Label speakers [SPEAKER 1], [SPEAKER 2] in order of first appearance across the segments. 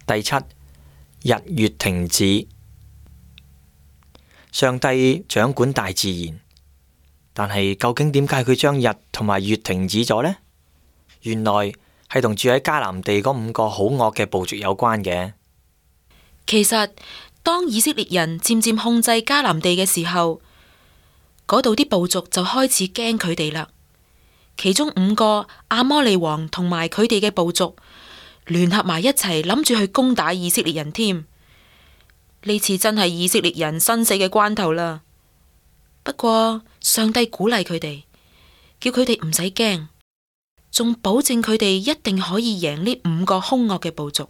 [SPEAKER 1] 第七，日月停止。上帝掌管大自然，但係究竟點解佢將日同埋月停止咗呢？原來係同住喺迦南地嗰5個好惡嘅部族有關嘅。
[SPEAKER 2] 其實當以色列人漸漸控制迦南地嘅時候，嗰度啲部族就開始驚佢哋啦。其中5個亞摩利王同埋佢哋嘅部族聯合埋一齊，諗住去攻打以色列人添。呢次真係以色列人生死嘅關頭啦。不過上帝鼓勵佢哋，叫佢哋唔使驚，仲保證佢哋一定可以贏呢5個兇惡嘅部族。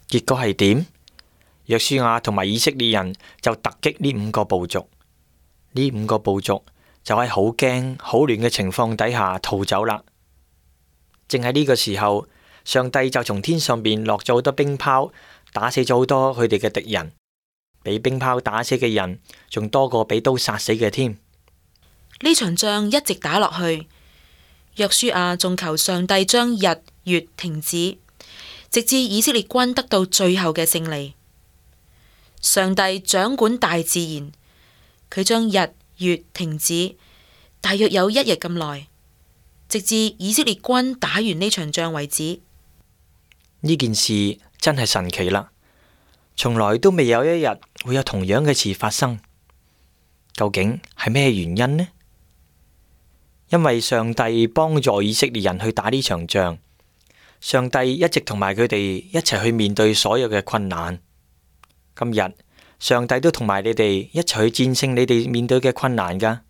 [SPEAKER 1] 結果係點？約書亞同埋以色列人就突擊呢5個部族，呢5個部族就喺好驚、好亂嘅情況底下逃走啦。正喺呢個時候，上帝就從天上邊落咗好多冰雹，打死咗好多佢哋嘅敵人，俾冰雹打死嘅人仲多過俾刀殺死嘅添。
[SPEAKER 2] 呢場仗一直打落去，約書亞仲求上帝將日月停止，直至以色列軍得到最後嘅勝利。上帝掌管大自然，佢將日月停止，大約有1日咁耐，直至以色列軍打完呢場仗為止。
[SPEAKER 1] 呢件事真係神奇啦，從來都未有一日會有同樣嘅事發生。究竟係咩原因呢？因為上帝幫助以色列人去打呢場仗，上帝一直同埋佢哋一齊去面對所有嘅困難。今日上帝都同埋你哋一齊去戰勝你哋面對嘅困難噶。